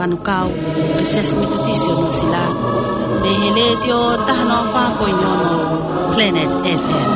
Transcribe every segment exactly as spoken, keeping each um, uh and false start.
Manukau, ʻa e Siasi Metotisi ʻo Nuʻusila, mei he Letiō taha noa fā poini ono Planet F M.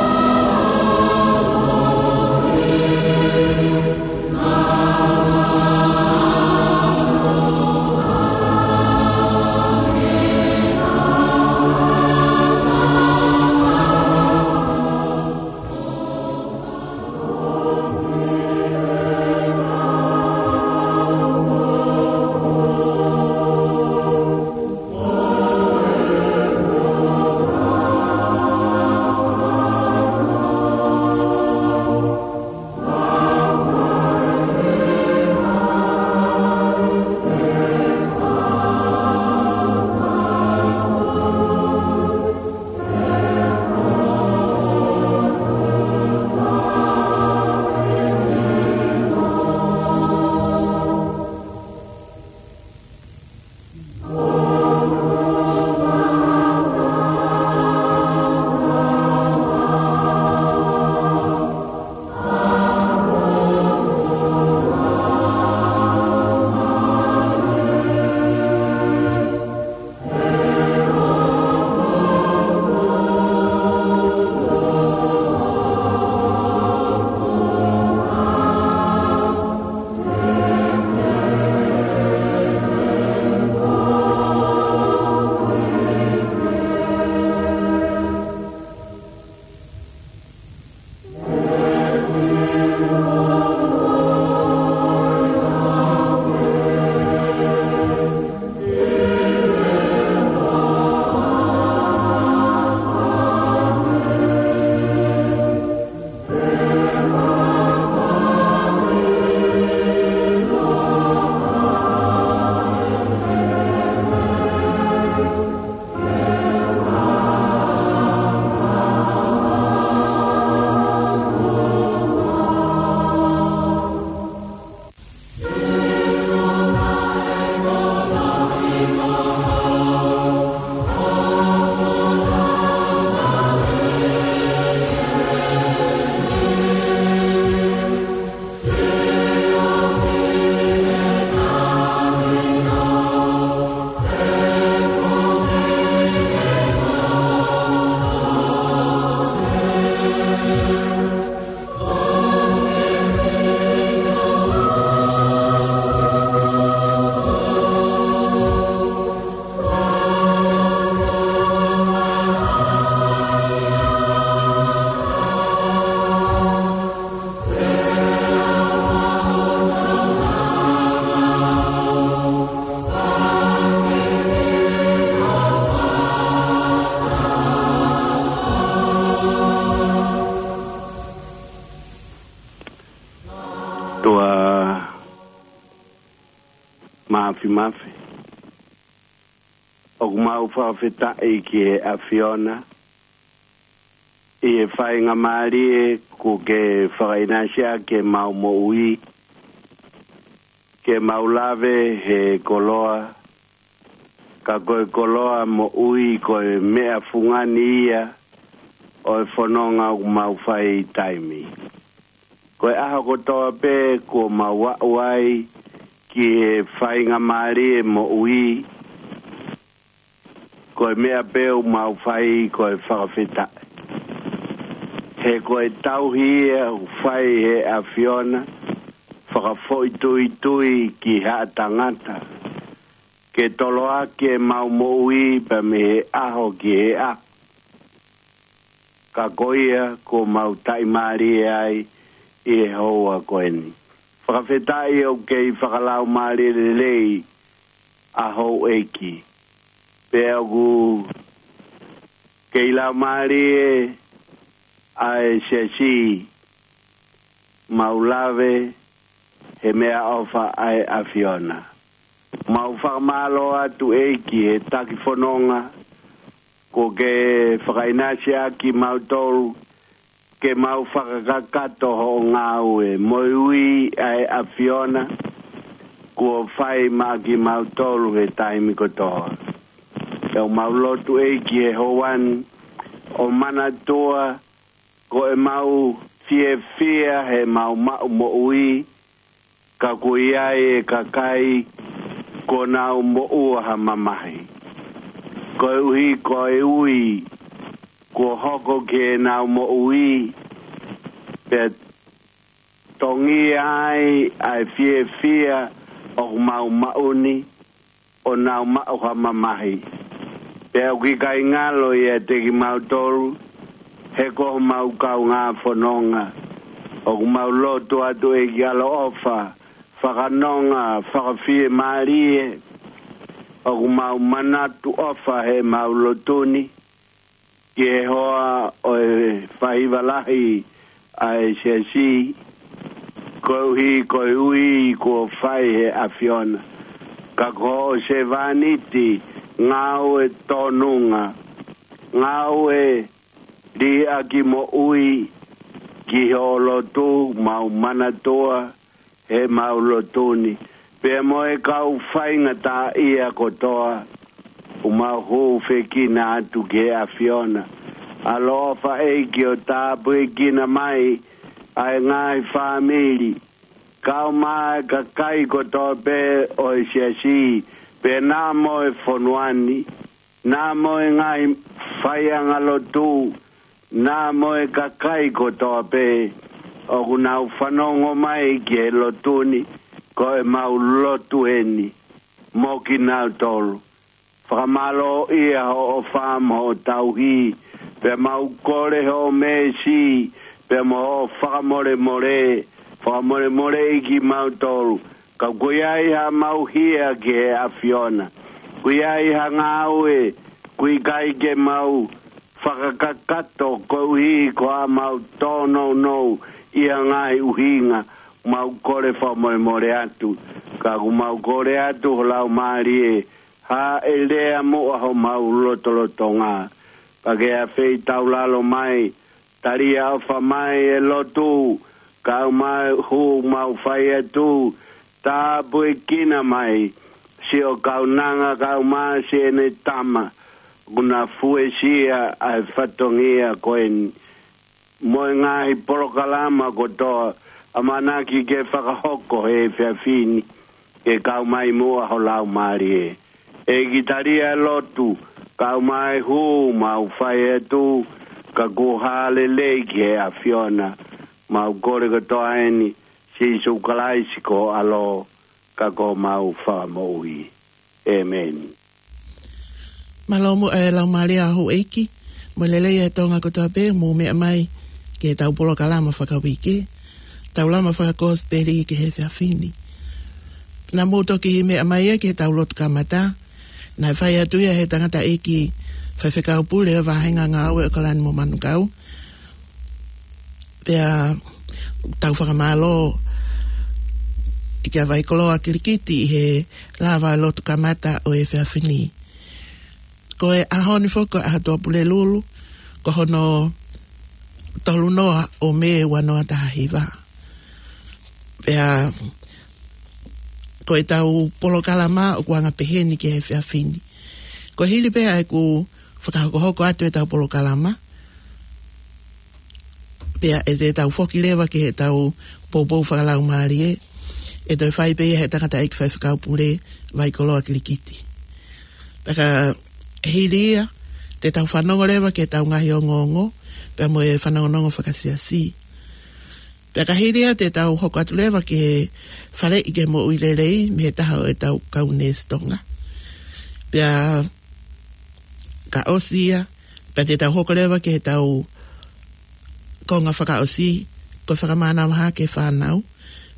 Tuʻa Mafimafi. ʻOku mau fakafetaʻi ki he ʻAfiona ʻi he faingamālie kuo ke fakaʻinasi ʻaki ʻemau moʻui, ke mau lave he koloa, ka ko e koloa moʻui ko e meʻa fungani ia ʻo e fononga ʻoku mau fai taimi. Ko e ʻaho kotoa pē kuo mau aʻu ai ki he faingamālie moʻui, ko e meʻa pē ʻoku mau fai ko e fakafetaʻi. He ko e tauhi ia ʻoku fai he ʻAfiona, fakafoʻituitui ki haʻa tangata, ke toloaki ʻemau moʻui pea mei he ʻaho ki he ʻaho. Ka ko ia kuo mau taʻimālie ai ʻi he houa ko eni. Fakafetaʻi ʻoku kei fakalaumālie lelei ʻa houʻeiki. Pea ʻoku kei laumālie ʻa e siasi, mau lave he meʻaʻofa ʻa e ʻAfiona. Mau fakamālō atu ʻEiki he taki fononga kuo ke fakaʻinasi ʻaki kimautolu ke mau fakakakato hoʻo ngāue mo e ui ʻa e ʻAfiona kuo fai maʻa kimautolu he taimi kotoa. ʻOku mau lotu ʻEiki he houa ni ʻo manatua ko ʻemau fiefia he mau maʻu moʻui, ka ʻoku ʻi ai e kakai kuo nau moʻua ha mamahi. Koeʻuhi ko e ui kuo hoko ki heʻenau moʻui, pea tongia ai ʻa e fiefia ʻoku mau maʻu ni, ʻo nau maʻu ha mamahi. Pea ʻoku ʻikai ngalo ʻiate kimautolu, he ko homau kaungā fononga. ʻOku mau lotu atu ʻEiki ʻaloʻofa, fakanonga, fakafiemālie, ʻoku mau manatu ʻofa heʻemau lotu ni, ki he hoa ʻo e faʻahiva lahi ʻa e siasi, koeʻuhi ko e ui kuo fai he ʻAfiona. Ka ko hoʻo sevāniti ngāue tōnunga, ngāue liʻaki moʻui ki hoʻo lotu, mau manatua heʻemau lotu ni, pea mo e kau faingataʻaʻia kotoa, ʻoku mau hūfekina atu ki he ʻAfiona. ʻAloʻofa ʻEiki ʻo tāpuekina mai ʻa e ngaahi fāmili, kau mai kakai kotoa pē ʻo e siasi, pea naʻa mo e fonua ni, naʻa mo e ngaahi faiʻanga lotu, naʻa mo e kakai kotoa pē ʻoku nau fanongo mai ki he lotu ni, ko ʻemau lotu eni mo kinautolu. Fakamālō ʻia hoʻo ʻofa mo hoʻo tauhi, pea mau kole hoʻo meesi, pea mo hoʻo fakamolemole, fakamolemoleʻi kimautolu. Ka ʻoku ʻi ai haʻamau hia ki he ʻAfiona. ʻOku ʻi ai ha ngāue, ʻoku ʻikai ke mau fakakakato koeʻuhi ko haʻamau tōnounou ʻi ha ngaahi ʻuhinga, mau kole fakamolemole atu. Ka ʻoku mau kole atu ho Laumālie, hāʻele muʻa homau lotolotonga. Pea ke afeitaulalo mai, talia ʻofa mai e lotu, kau mai hū mau fai atu, tāpuekina mai siʻo kaunanga kau mai siʻene tama, ʻoku na fuesia ʻa e fatongia ko eni, mo e ngaahi polokalama kotoa ʻamanaki ke fakahoko he efiafi ni, ke kau mai muʻa ho Laumālie. ʻEiki, talia e lotu, kau mai hū mau fai atu, ka kuo hāʻele ki he ʻAfiona. Mau kole kotoa eni, Sīsū Kalaisi ko ho ʻAlo, ka ko homau Fakamoʻui. ʻĒmeni. Mālō muʻa e Laumālie ʻa houʻeiki, mo e lelei e Tonga kotoa pē, mou meʻa mai ki heʻetau polokalama fakauike, Taulama Fakakosipeli ki he efiafi ni. Naʻa mou toki meʻa mai ia ki heʻetau lotu kamata, naʻe fai atu ia he tangataʻeiki faifekau pule ʻo e vāhenga ngāue ʻo ʻAokalani mo Manukau. Pea tau fakamālō kia Vaikoloa Kilikiti ʻi he lava lotu kamata ʻo e efiafi ni. Ko e ʻaho ni foki ko e ʻaho Tuʻapulelulu, ko hono tolu noa ʻo Mē ua noa taha hiva. Pea ko ʻetau polokalama ʻoku anga pehē ni ki he efiafi ni. Ko e hili pē ʻa ʻeku fakahokohoko atu ʻetau polokalama, pea ʻe te tau foki leva ki heʻetau poupou fakalaumālie, ʻe toe fai pē ia he tangataʻeiki faifekau pule Vaikoloa Kilikiti. Pea ka hili ia, te tau fanongo leva ki heʻetau ngaahi ongoongo, pea mo e fanongonongo fakasiasi. Pea ka hili ia te tau hoko atu leva ki he faleʻi ki he moʻui lelei, mei he taha ʻo ʻetau kau neesi Tonga. Pea ka ʻosi ia, pea te tau hoko leva ki heʻetau konga fakaʻosi, ko e fakamanavahē ki he fānau,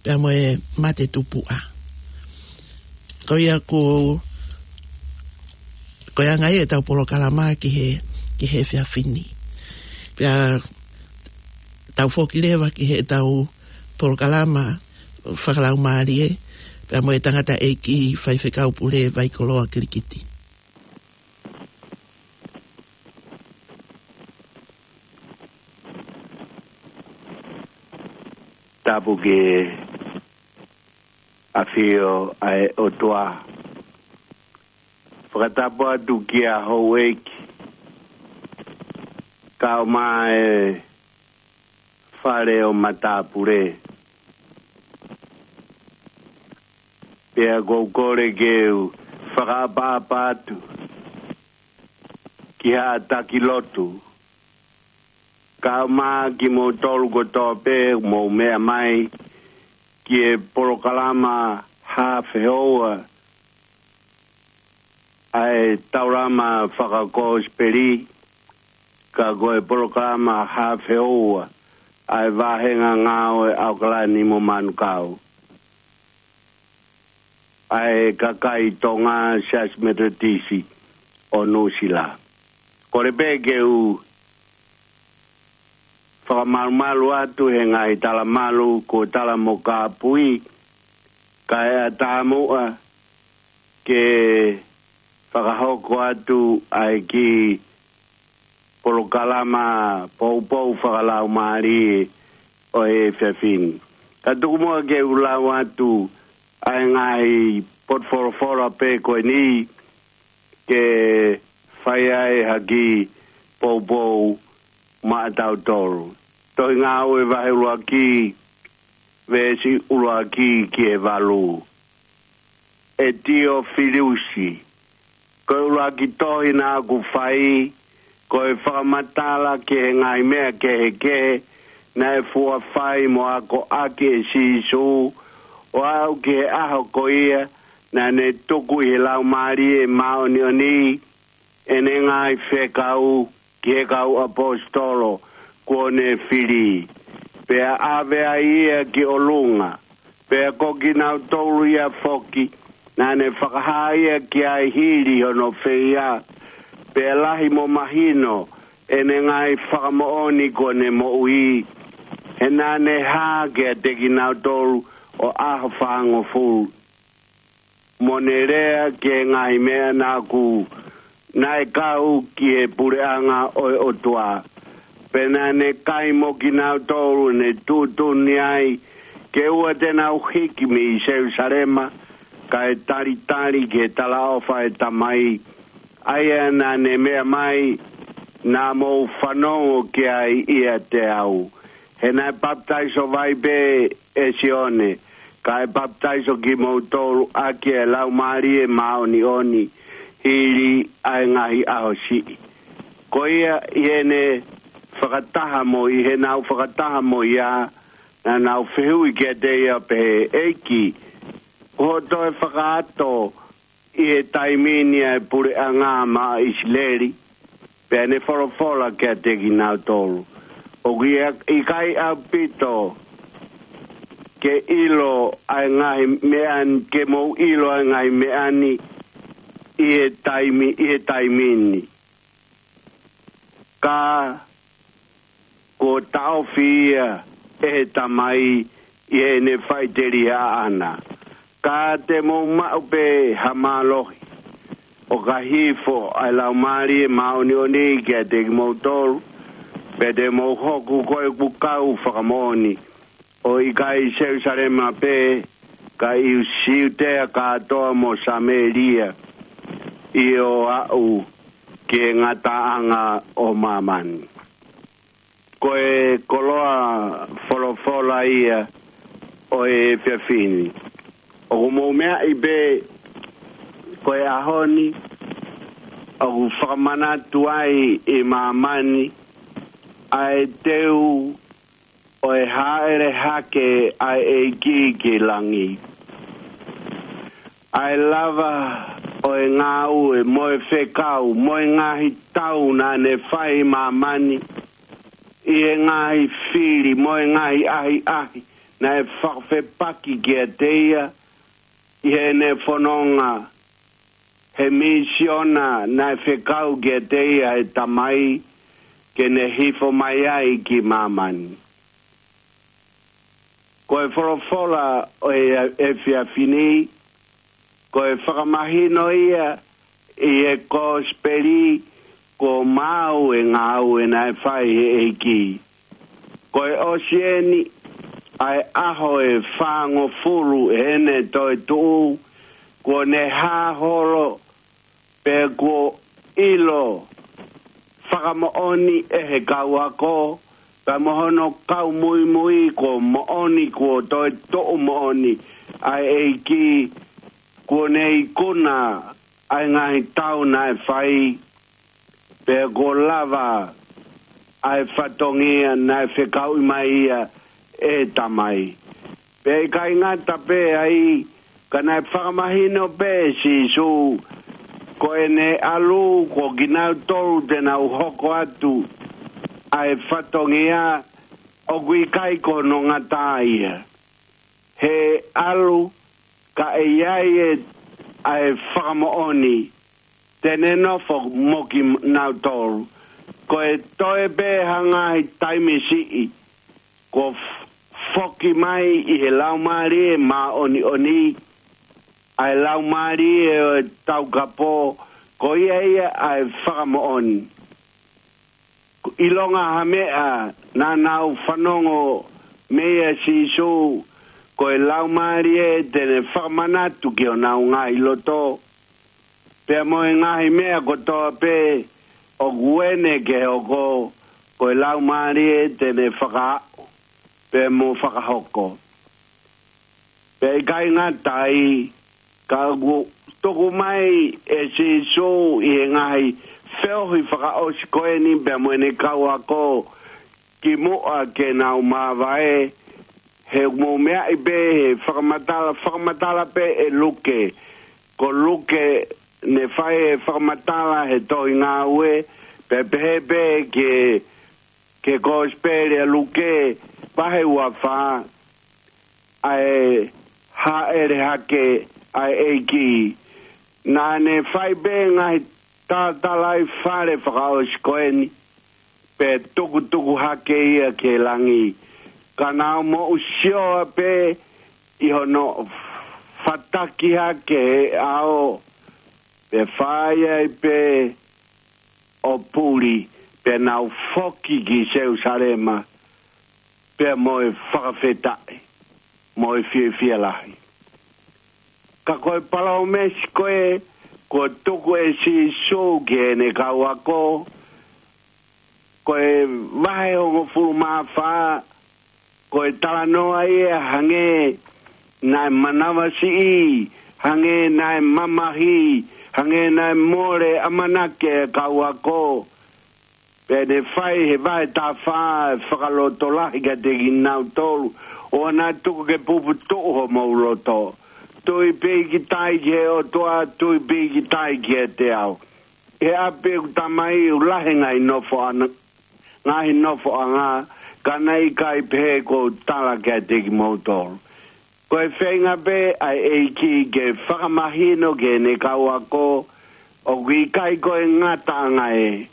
pea mo e mate tupuʻa. Ko ia ko, ko e anga ia ʻetau polokalama ki he, ki he efiafi ni. Pea tau foki leva ki heʻetau polokalama fakalaumālie, pea mo e tangataʻeiki faifekau pule Vaikoloa Kilikiti. Tapu ki he ʻafio ʻa e ʻOtua. Fakatapu atu kia houʻeiki, kau mai e fale ʻo matāpule. Pea ʻoku ou kole ke u fakaʻapaʻapa atu ki haʻa taki lotu, kae ʻumaʻā kimoutolu kotoa pē ʻoku mou meʻa mai ki he polokalama Hā Fehoua ʻa e Taulama Fakakosipeli, ka ko e polokalama Hā Fehoua ʻa e Vāhenga Ngāue ʻAokalani mo Manukau ʻa e kakai Tonga Siasi Metotisi ʻo Nuʻusila. Kole pē ke u fakamalumalu atu he ngaahi talamalu kuo tala mo kāpui, kae ʻatā muʻa ke fakahoko atu ʻa e kiʻi polokalama poupou fakalaumālie ʻo e efiafi ni. Ka tuku muʻa ke u lau atu ʻa e ngaahi potu folofola pē ko eni ke fai ai ha kiʻi poupou maʻatautolu. Tohi Ngāue vahe ʻuluaki, veesi ʻuluaki ki he valu. ʻE Tiofilusi, ko e ʻuluaki tohi naʻaku fai, ko e fakamatala ki he ngaahi meʻa kehekehe naʻe fua fai mo akoʻaki ʻe Sīsū, ʻo aʻu ki he ʻaho ko ia naʻa ne tuku ʻi he Laumālie Māʻoniʻoni ʻene ngaahi fekau ki he kau ʻaposetolo kuo ne fili, pea ʻave ai ia ki ʻolunga, pea ko kinautolu ia foki naʻa ne fakahā ia ki ai hili hono feia, pea lahi mo mahino ʻene ngaahi fakamoʻoni kuo ne moʻui, he naʻa ne hā kiate kinautolu ʻo ʻaho fāngofulu, mo ne lea ki he ngaahi meʻa naʻaku, naʻe kau ki he puleʻanga ʻo e ʻOtua. Pea naʻa ne kai mo kinautolu ʻo ne tuʻutuʻuni ai ke ʻoua te nau hiki mei Selusalema, kae talitali ki he talaʻofa ʻa e Tamai, ʻa ia naʻa ne meʻa mai naʻa mou fanongo ki ai ʻiate au. He naʻe papitaiso vai pē ʻe Sione, kae papitaiso kimoutolu ʻaki ʻa e Laumālie Māʻoniʻoni hili ʻa e ngaahi ʻaho siʻi. Ko ia ʻi heʻene fakataha mo, ʻi heʻenau fakataha mo ia, naʻa nau fehuʻi kiate ia pehē, ʻEiki, ko hoʻo toe fakaato ʻi he taimi ni ʻa e puleʻanga maʻa ʻIsileli? Pea ne folofola kiate kinautolu, ʻOku ʻikai ʻaupito ke ʻilo ʻa e ngaahi meʻa ni, ke mou ʻilo ʻa e ngaahi meʻa ni ʻi he taimi, ʻi he taimi ni. Ka kuo taʻofi ia ʻe he Tamai ʻi heʻene faʻiteliha ʻaʻana. Ka te mou maʻu pē ha mālohi, ʻo ka hifo ʻa e Laumālie Māʻoniʻoni kiate kimoutolu, pea te mou hoko ko ʻeku kau fakamoʻoni, ʻo ʻikai ʻi Selusalema pē, ka ʻi Siutea kātoa mo Samēlia, ʻio, aʻu ki he ngataʻanga ʻo māmani. Ko e koloa folofola ia ʻo e efiafi ni. ʻOku mou meaʻi pē ko e ʻaho ni, ʻoku fakamanatu ai ʻi māmani ʻa e teu ʻo e hāʻele hake ʻa e ʻEiki ki langi. ʻA e lava ʻo e ngāue mo e fekau mo e ngaahi tau naʻa ne fai ʻi māmani, ʻi he ngaahi fili mo e ngaahi ʻahiʻahi naʻe fakafepaki kiate ia ʻi heʻene fononga, he misiona naʻe fekau kiate ia ʻe he Tamai ke ne hifo mai ai ki māmani. Ko e folofola ʻo e efiafi ni, ko e fakamahino ia ʻi he kosipeli kuo maau e ngāue naʻe fai ʻe he ʻEiki. Ko e ʻosi eni ʻa e ʻaho ʻe fāngofulu ʻene toetuʻu, kuo ne hā holo, pea kuo ʻilo fakamoʻoni ʻe he kau ako, pea mo hono kau muimui kuo moʻoni, kuo toetuʻu moʻoni ʻa e ʻEiki, Kuo ne ikuna ʻa e ngaahi tau naʻe fai, pea kuo lava ʻa e fatongia naʻe fekauʻi mai ia ʻe he Tamai. Pea ʻikai ngata pē ai, ka naʻe fakamahino pē ʻe Sīsū, ko ʻene ʻalu ko kinautolu te nau hoko atu ʻa e fatongia, ʻoku ʻikai ko hono ngata ia. He ʻalu, ka ʻe ʻi ai ʻa e fakamoʻoni, te ne nofo mo kinautolu. Ko e toe pē ha ngaahi taimi siʻi, kuo f-, foki mai ʻi he Laumālie Māʻoniʻoni, ʻa e Laumālie ʻo e Taukapo, ko ia ia ʻa e fakamoʻoni. ʻIlonga ha meʻa naʻa nau fanongo mei a Sīsū, ko e Laumālie te ne fakamanatu ki honau ngaahi loto. Pea mo e ngaahi meʻa kotoa pē ʻoku ʻene ke hoko, ko e Laumālie te ne fakaaʻu, pea mo fakahoko. Pea ʻikai ngata ai, ka ʻoku tuku mai ʻe Sīsū ʻi he ngaahi feohi fakaʻosi ko eni pea mo ʻene kau ako ki muʻa ke nau māvae, he ʻoku mou meaʻi pē he fakamatala, fakamatala pē ʻe Luke. Ko Luke ne fai e fakamatala he tohi Ngāue, pea pehē pē ke, ke Kosipeli ʻa Luke, vahe ua fā, ʻa e hāʻele hake ʻa e ʻEiki. Naʻa ne fai pē ngaahi talatalaifale fakaʻosi ko eni, pea tukutuku hake ia ki langi. Ka nau moʻu sioa pē ʻi hono fataki hake he ʻao, pea fai ai pē ʻo puli, pea nau foki ki Selusalema, pea mo e fakafetaʻi, mo e fiefia lahi. Ka ko e palōmesi ko ē, kuo tuku ʻe Sīsū ki heʻene kau ako, ko e vahe hongofulu mā fā, ko e talanoa ia hangē naʻe manavasiʻi, hangē naʻe mamahi, hangē naʻe mole ʻamanaki e kau ako. Pea ne fai he vahe taha fā e fakalotolahi kiate kinautolu, ʻoua naʻa tuku ke puputuʻu homou loto. Tui pīkitai ki he ʻOtua, tui pīkitai kiate au. He ʻapi ʻeku Tamai ʻoku lahi ngaahi nofoʻanga, ngaahi nofoʻanga, ka naʻe ʻikai pehē kuo u tala kiate kimoutolu. Ko e feinga pē ʻa e ʻEiki ke fakamahino ki heʻene kau ako, ʻoku ʻikai ko e ngataʻanga ē,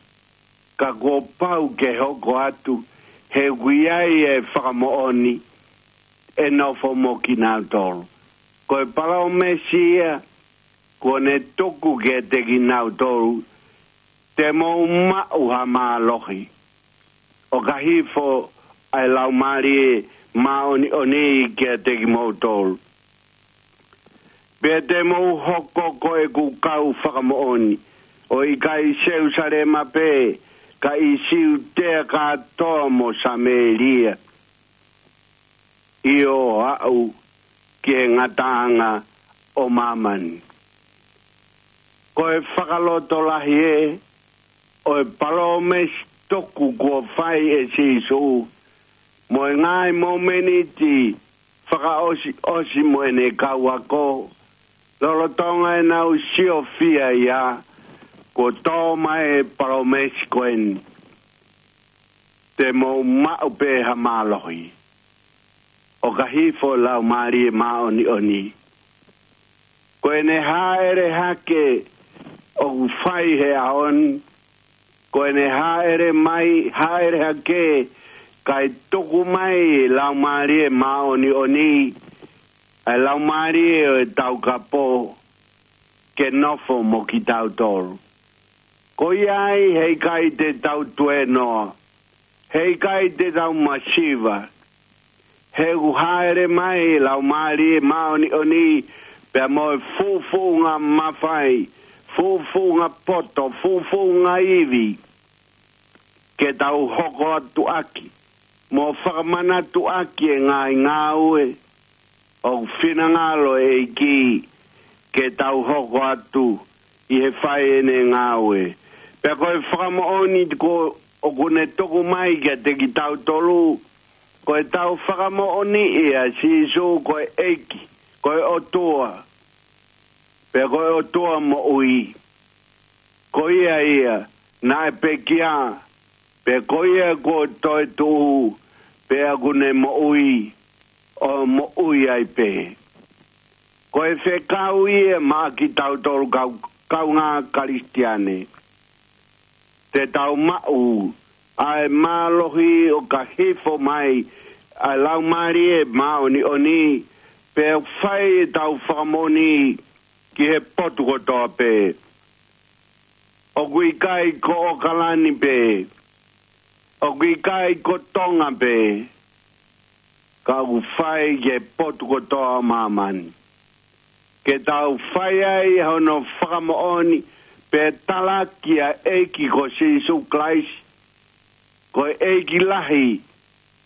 ka kuo pau ke hoko atu, he ʻoku ʻi ai e fakamoʻoni ʻe nofo mo kinautolu. Ko e palōmesi ia kuo ne tuku kiate kinautolu, te mou maʻu ha mālohi, ʻo ka hifo ʻa e Laumālie Māʻoniʻoni kiate kimoutolu. Pea te mou hoko ko ʻeku kau fakamoʻoni, ʻo ʻikai ʻi Selusalema pē, ka ʻi Siutea kātoa mo Samēlia, ʻio, aʻu ki he ngataʻanga ʻo māmani. Ko e fakalotolahi ē ʻo e palōmesi tuku kuo fai ʻe Sīsū, mo e ngaahi momeniti fakaʻosiʻosi mo ʻene kau ako, lolotonga ʻenau siofia ia, kuo tō mai e palōmesi ko eni, te mou maʻu pē ha mālohi, ʻo ka hifo Laumālie Māʻoniʻoni. Ko ʻene hāʻele hake ʻoku fai he ʻaho ni, ko ʻene hāʻele mai, hāʻele hake, kae tuku mai e Laumālie Māʻoniʻoni, ʻa e Laumālie ʻo e Taukapo, ke nofo mo kitautolu. Ko ia ai heʻikai te tau tuēnoa, heʻikai te tau masiva, he ʻoku hāʻele mai e Laumālie Māʻoniʻoni, pea mo e fuʻufuʻunga mafai, fuʻufuʻunga poto, fuʻufuʻunga ivi, ke tau hoko atu ʻaki, mo fakamanatu ʻaki e ngaahi ngāue ʻoku finangalo e ʻEiki ke tau hoko atu ʻi he fai ʻene ngāue. Pea ko e fakamoʻoni ko ʻoku ne tuku mai kiate kitautolu, ko ʻetau fakamoʻoniʻi ʻa Sīsū ko e ʻEiki, ko e ʻOtua, pea ko e ʻOtua moʻui. Ko ia ia naʻe pekia, pea ko ia kuo toetuʻu, pea ʻoku ne moʻui, ʻo moʻui ai pē. Ko e fekau ia maʻa kitautolu kau, kaungā Kalisitiane. Te tau maʻu ʻa e mālohi ʻo ka hifo mai ʻa e Laumālie Māʻoniʻoni, pea fai ʻetau fakamoʻoni ki he potu kotoa pē. ʻOku ʻikai ko ʻAokalani pē, ʻoku ʻikai ko Tonga pē, ka ʻoku fai ki he potu kotoa ʻo māmani. Ke tau fai ai hono fakamoʻoni, pea talaki ʻa e ʻEiki ko Sīsū Kalaisi, ko e ʻEiki lahi,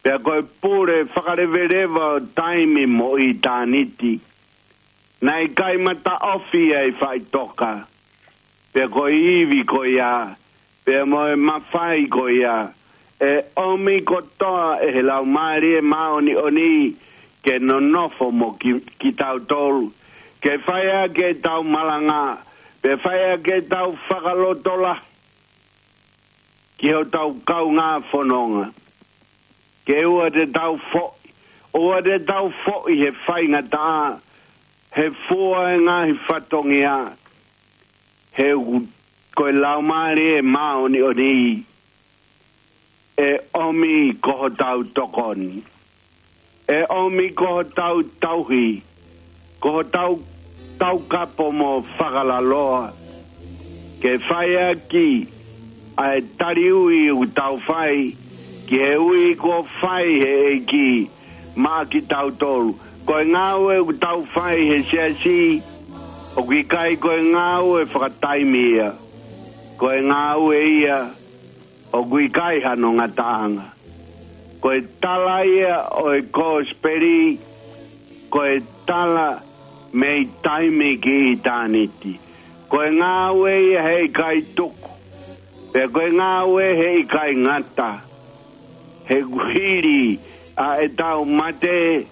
pea ko e pule fakaleveleva ʻo taimi mo ʻitāniti. Naʻe ʻikai mataʻofi ʻa e faʻitoka, pea ko e ivi ko ia, pea mo e mafai ko ia, ʻe ʻomi kotoa ʻe he Laumālie Māʻoniʻoni ke nonofo mo ki, kitautolu, ke fai ʻaki ʻetau malanga, pea fai ʻaki ʻetau fakalotolahi ki hotau kaungā fononga. Ke ʻoua te tau foʻi, ʻoua te tau foʻi he faingataʻa, he fua e ngaahi fatongia, he ʻoku, ko e Laumālie Māʻoniʻoni, ʻe ʻomi ko hotau tokoni. ʻE ʻomi ko hotau tauhi, ko hotau taukapo mo fakalaloa. Ke fai ʻaki ʻa e tali ui ʻoku tau fai, ki he ui kuo fai he ʻEiki maʻa kitautolu. Ko e ngāue ʻoku tau fai he siasi, ʻoku ʻikai ko e ngāue fakataimi ia. Ko e ngāue ia ʻoku ʻikai hano ngataʻanga. Ko e tala ia ʻo e kosipeli, ko e tala mei taimi ki ʻitāniti. Ko e ngāue ia heʻikai tuku, pea ko e ngāue heʻikai ngata. He kuo hili ʻa ʻetau mate,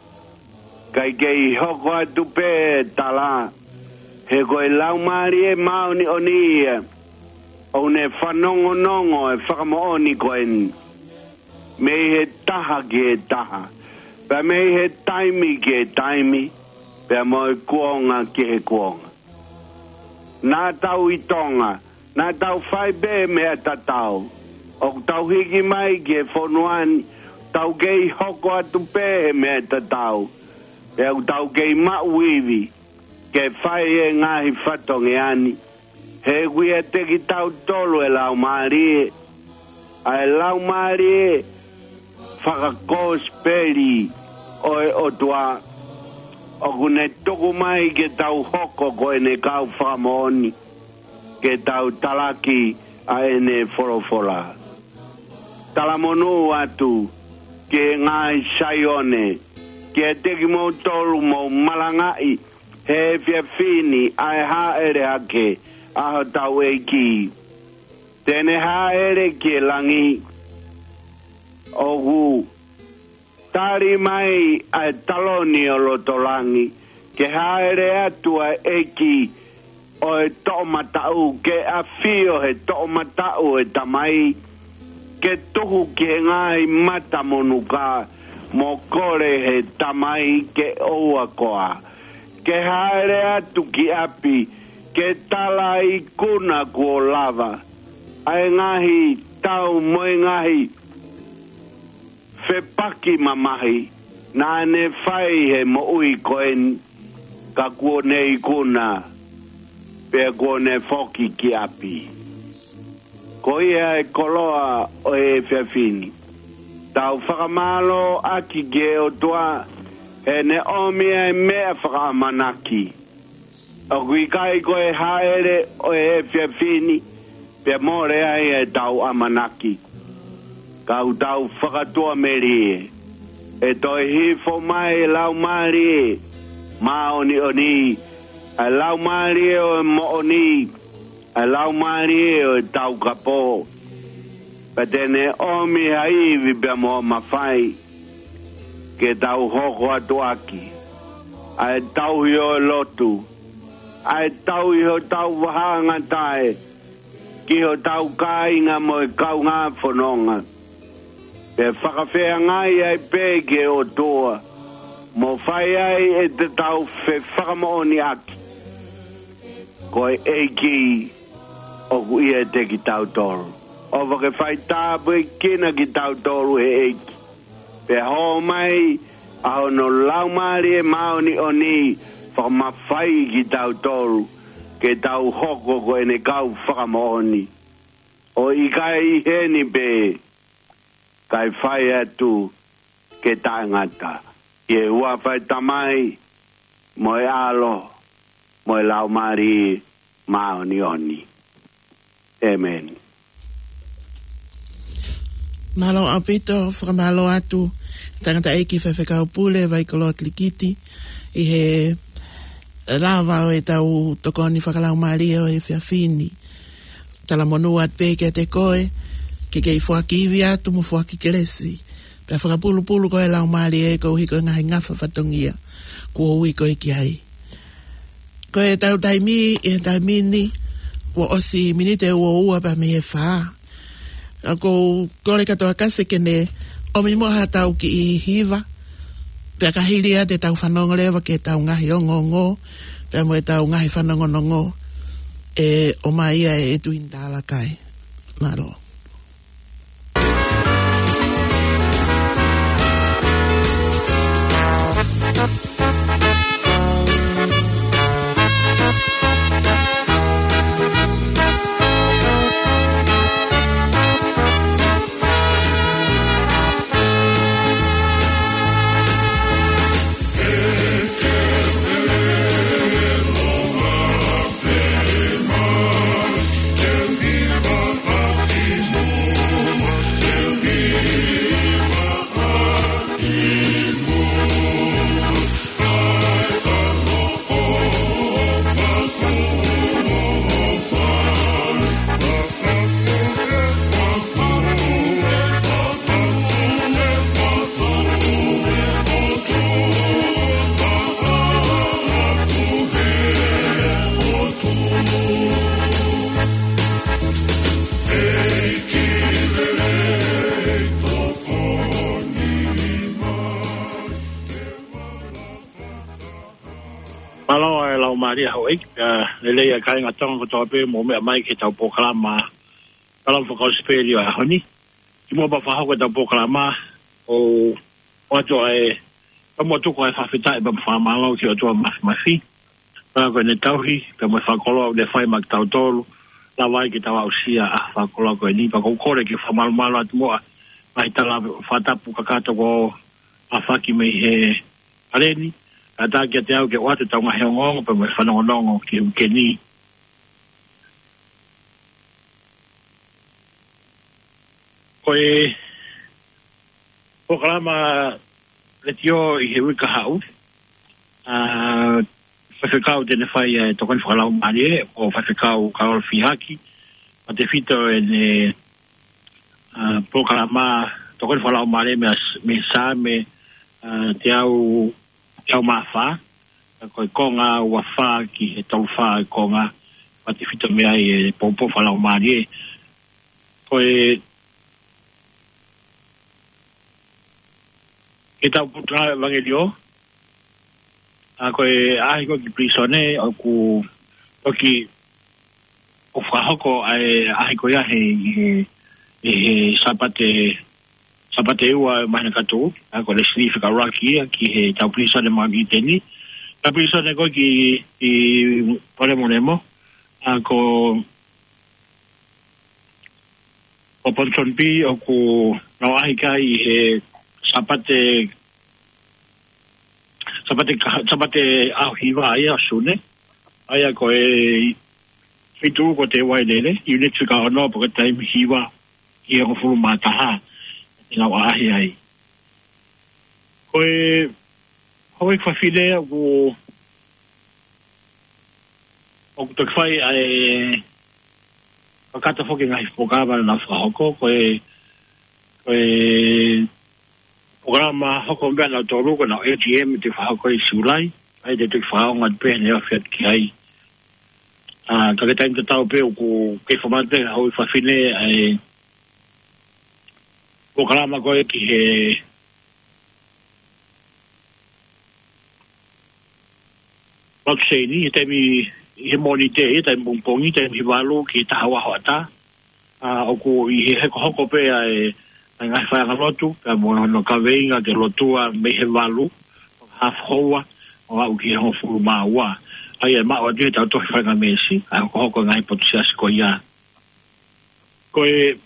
kae kei hoko atu pē e tala, he ko e Laumālie Māʻoniʻoni ia, ʻoku ne fanongonongo e fakamoʻoni ko eni, mei he taha ki he taha, pea mei he taimi ki he taimi, pea mo e kuonga ki he kuonga. Naʻa tau ʻi Tonga, naʻa tau fai pē meʻa tatau. ʻOku tau hiki mai ki he fonua ni, tau kei hoko atu pē he meʻa tatau. Pea ʻoku tau kei maʻu ivi, ke fai e ngaahi fatongia ni. He ʻoku ʻiate kitautolu e Laumālie, ʻa e Laumālie fakakosipeli ʻo e ʻOtua, ʻoku ne tuku mai ke tau hoko ko ʻene kau fakamoʻoni, ke tau talaki ʻa ʻene folofola. Talamonū atu ki he ngaahi Saione, kiate kimoutolu ʻoku mou malangaʻi he efiafi ni ʻa e hāʻele hake ʻa hotau ʻEiki. Te ne hāʻele ki he langi, ʻoku tali mai ʻa e taloni ʻo loto langi, ke hāʻele atu ʻa e ʻEiki ʻo e toʻomataʻu, ke ʻafio he toʻomataʻu ʻo e Tamai, ke tuhu ki he ngaahi mata monuka, mo kole he Tamai ke ʻoua koā. Ke hāʻele atu ki ʻapi, ke tala ikuna kuo lava, ʻa e ngaahi tau mo e ngaahi fepaki mamahi naʻa ne fai he moʻui ko eni, ka kuo ne ikuna, pea kuo ne foki ki ʻapi. Ko ia e koloa ʻo e efiafi ni. Tau fakamālō ʻaki ki he ʻOtua, he ne ʻomi ʻa e meʻa fakaʻamanaki. ʻOku ʻikai ko e hāʻele ʻo e efiafi ni, pea mole ai ʻetau ʻamanaki. Ka ʻoku tau fakatuʻamelie, ʻe toe hifo mai e Laumālie Māʻoniʻoni, ʻa e Laumālie ʻo e moʻoni, ʻa e Laumālie ʻo e taukapo. Pea te ne ʻomi ha ivi pea mo ha mafai ke tau hoko atu ʻaki ʻa e tauhi ʻo e lotu, ʻa e tauhi hotau vahaʻangatae ki hotau kāinga mo e kaungā fononga. Pea fakafeangai ai pē ki he ʻOtua, mo fai ai ʻetau fefakamoʻoniʻaki ko e ʻEiki ʻoku ʻiate kitautolu. ʻOfa ke fai tāpuekina kitautolu ʻe he ʻEiki, pea hō mai ʻa hono Laumālie Māʻoniʻoni fakamafaiʻi kitautolu ke tau hoko ko ʻene kau fakamoʻoni. ʻO ʻikai ʻi heni pē, kae fai atu ke taʻengata. ʻI he huafa ʻo e Tamai, mo e ʻAlo, mo e Laumālie Māʻoniʻoni. ʻĒmeni. Mālō ʻaupito, fakamālō atu, tangataʻeiki faifekau pule, Vaikoloa Kilikiti, ʻi he lava ʻo ʻetau tokoni fakalaumālie ʻo e efiafi ni. Talamonū atu pē kiate koe, ke kei foaki ivi atu mo foaki kelesi. Pea fakapulupulu koe ʻe he Laumālie koeʻuhi ko e ngaahi ngafa fatongia kuo ui koe ki ai. Ko ʻetau taimi, ʻi he taimi ni, kuo ʻosi miniti ʻe ua ua pea mei he fā. ʻOku ou kole kātoa Kasi ke ne ʻomi muʻa haʻatau kiʻi hiva. Pea ka hili ia te tau fanongo leva ki heʻetau ngaahi ongoongo, pea mo ʻetau ngaahi fanongonongo, ʻe ʻomai ia ʻe Tuini Talakai. Mālō. Mālō e Laumālie houʻeiki, pea lelei ʻa e kāinga Tonga kotoa pē mou meʻa mai ki heʻetau polokalama Kalama Fakakosipeli ʻo e ʻaho ni. Kimuʻa pea fakahoko ʻetau polokalama, ʻoku ou ʻoatu ʻa e, pea mo tuku ʻa e fakafetaʻi pea mo e fakamālō ki he ʻOtua Māfimafi. Pea ko ʻene tauhi, pea mo e fakakoloa ʻoku ne fai maʻa kitautolu, lava ai ke tau aʻusia ʻa e fakakoloa ko eni, pea ʻoku ou kole ke fakamalumalu atu muʻa ʻa e ngaahi tala fakatapu kakato kuo ʻafaki mei he paleni, kae ʻatā kiate au ke ʻoatu ʻetau ngaahi ongoongo pea mo e fanongonongo ki he uike ni. Ko e polokalama letiō ʻi he uike kahaʻu, ʻa, faifekau te ne fai ʻa e tokoni fakalaumālie, ko Faifekau Kaola Fihaki, ʻa e tefito ʻene, ʻa, polokalama tokoni fakalaumālie mei, mei he Saame, ʻa, teau, teau mā fā, ko e konga ua fā ki he tolu fā e konga, ʻa e tefito mei ai e poupou fakalaumālie. Ko e, ke tau putu ʻa e ʻevangeliō, ʻa ko e ʻaʻahi ko ē ki pilīsone, ʻoku toki ʻo fakahoko ʻa e ʻaʻahi ko ia he, he, he, he Sāpate, Sāpate ua māhina ka tuʻu, ʻa ko Leslie Fekauʻaki ia ki heʻetau pilīsone Mount Eden. Ka pilīsone ko ē ki, ki Polemolemo, ʻa ko, ko Ponsonby ʻoku nau ʻaʻahi ki ai he Sāpate, Sāpate ka-, Sāpate ʻaho hiva ia ʻo Sune. ʻA ia ko e feituʻu ko Teuaʻilele, ʻiuniti fika ono, pea ko e taimi hiva ki he hongofulu mā taha, ʻe nau ʻaʻahi ai. Ko e houʻeiki fafine ʻoku ʻoku toki fai ʻa e fakatafoki ngaahi polokalama naʻa nau fakahoko, ko e, ko e polokalama hoko meʻa nau tolu, ko ʻenau A G M te fakahoko ʻi Siulai, ʻa ia te toki fakaonga pē ne afi atu ki ai. ʻA, ka ko e taimi tatau pē ʻoku kei fakamanatu pē ʻe he houʻeiki fafine ʻa e polokalama ko ē ki he Lotu Seini, he taimi ʻi he Mōnite, he taimi pongipongi, taimi ʻi he valu ki he taha ua hoʻatā. ʻA, ʻoku ʻi he hokohoko pē ʻa e, ʻa e ngaahi faiʻanga lotu, pea mo hono kaveinga ke lotua mei he valu, haafe houa, ʻo aʻu ki he hongofulu mā ua. ʻA ia ʻe maʻu atu he tau tohi faingamālie, ʻa e hokohoko ngaahi potu siasi ko ia. Ko e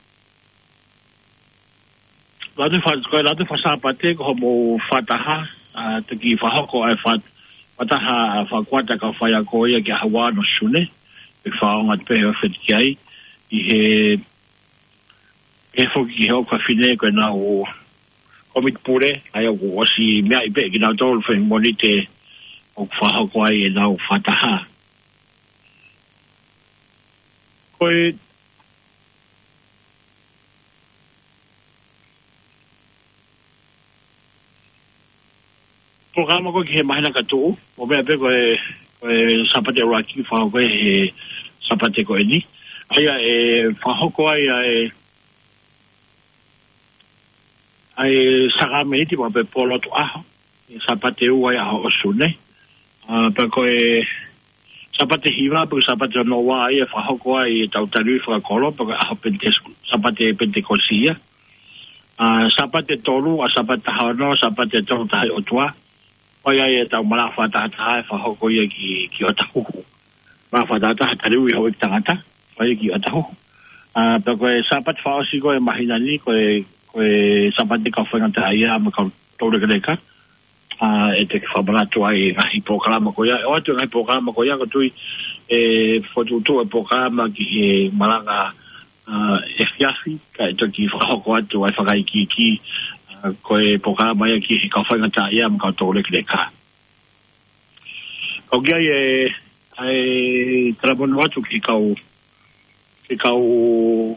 Latu fa-, ko e latu faka-Sāpate ko hoʻomou fakataha, ʻa, toki fakahoko ʻa e fa-, fakataha fakakuata kau faiako ia ki he ʻaho ua ʻo Sune, ʻe fakaonga pē he afi atu ki ai, ʻi he, ʻe foki ki he houʻeiki fafine ko ʻenau kōmiti pule, ʻa ia ʻoku ʻosi meaʻi pē kinautolu he Mōnite ʻoku fakahoko ai ʻenau fakataha. Ko e polokalama ko ē ki he māhina ka tuʻu, ʻo meʻa pē ko e, ko e Sāpate ʻuluaki fakahoko ʻe he Sāpate ko eni. ʻA ia ʻe fakahoko ai ʻa e, ʻa e sākalamēniti mo e pōlotu ʻaho, ʻi he Sāpate ua ʻi he ʻaho ʻo Sune. ʻA, pea ko e Sāpate hiva, pea ko e Sāpate hono ua ia ʻe fakahoko ai ʻetau taliui fakakolo, pea ko e ʻaho Penitesi-, Sāpate Penitekosi ia. ʻA, Sāpate tolu, ʻa Sāpate taha ono, Sāpate tolu taha ʻi ʻOtua. ʻOku ʻi ai ʻetau malanga fakatahataha ʻe fakahoko ia ki, ki ʻOtahuhu. Malanga fakatahataha taliui houʻeiki tangata, ʻoku ʻi ai ki ʻOtahuhu. ʻA, pea ko e Sāpate fakaʻosi ko ē ʻo e māhina ni, ko e, ko e Sāpate kau faingataʻaʻia mo e kau toulekeleka. ʻA, ʻe toki fakamanatu ai e ngaahi polokalama ko ia. ʻOatu e ngaahi polokalama ko ia, ʻoku ou tui ʻe fokotuʻutuʻu e polokalama ki he malanga, ʻa, efiafi, kae toki fakahoko atu ʻa e fakaikiiki, ʻa, ko e polokalama ia ki he kau faingataʻaʻia mo e kau toulekeleka. Ka ʻoku ʻi ai e, ʻa e talamonū atu ki he kau, ki he kau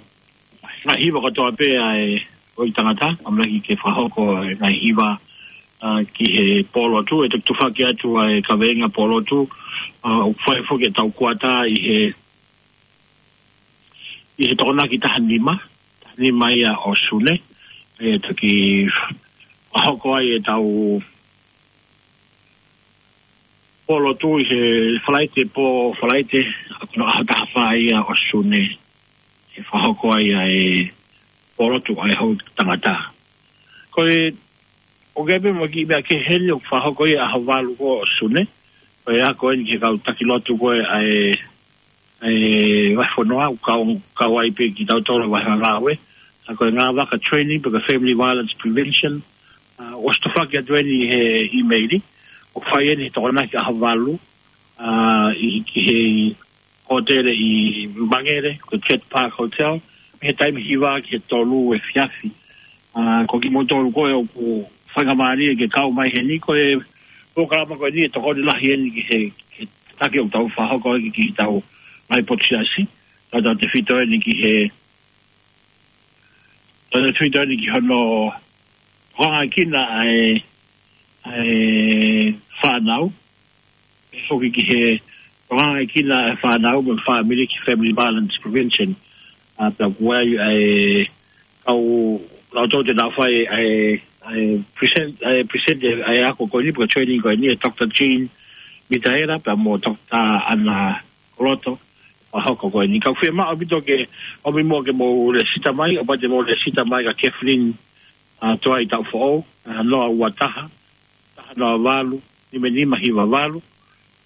ngaahi hiva kotoa pē ʻa e houʻeiki tangata, ʻamanaki ke fakahoko e ngaahi hiva, ʻa, ki he pōlotu, ʻe toki tufaki atu ʻa e kaveinga pōlotu, ʻa, ʻoku fai foki ʻetau kuata ʻi he, ʻi he Tokonaki taha nima, taha nima ia ʻo Sune, ʻe toki fakahoko ai ʻetau pōlotu ʻi he Falaite pō, Falaite, ʻa, ko hono ʻaho taha fā ia ʻo Sune, ʻe fakahoko ai ʻa e pōlotu ʻa e houʻeiki tangata. Ko e, ʻoku ʻi ai pē mo e kiʻi meʻa kehe heni ʻoku fakahoko ia ʻaho valu ko ē ʻo Sune, ko e ako eni ki he kau taki lotu ko ē ʻa e, ʻa e vahefonua, ʻoku kau, kau ai pē kitautolu vahefonua ē. ʻA, ko e Ngāvaka Training, pe ko e Family Violence Prevention. ʻA, ʻosi tufaki atu eni he ʻīmeili, ʻoku fai eni he Tokonaki ʻaho valu, ʻa, ʻi, ki he hōtele ʻi Mangere, ko e Jet Park Hotel, mei he taimi hiva ki he tolu efiafi. ʻA, ko kimoutolu ko ē ʻoku faingamālie ke kau mai heni, ko e polokalama ko eni ʻe tokoni lahi eni ki he, ki he taki ʻoku tau fakahoko ki, ki heʻetau ngaahi potu siasi, tautautefito eni ki he, tautautefito eni ki hono tokangaʻi ʻa e, ʻa e fānau, ʻe foki ki he tokangaʻi ʻa e fānau mo e fāmili ki he Family Violence Prevention. ʻA, pea ʻoku ʻi ai ʻa e kau, nautolu te nau fai ʻa e, ʻa e present, ʻa e present ʻa e ako ko eni, pe ko e training ko eni, ʻe Doctor Jean Mitaela, pea mo Doctor Ana Koloto, ʻa e ako ko eni. Ka ʻoku fiemaʻu ʻaupito ke ʻomi muʻa ke mou lēsisita mai, ʻo pau te mou lēsisita mai kia Kathleen, ʻa, Tuʻai Taʻufoʻou, ʻa, noa ua taha, taha noa valu, nima nima hiva valu.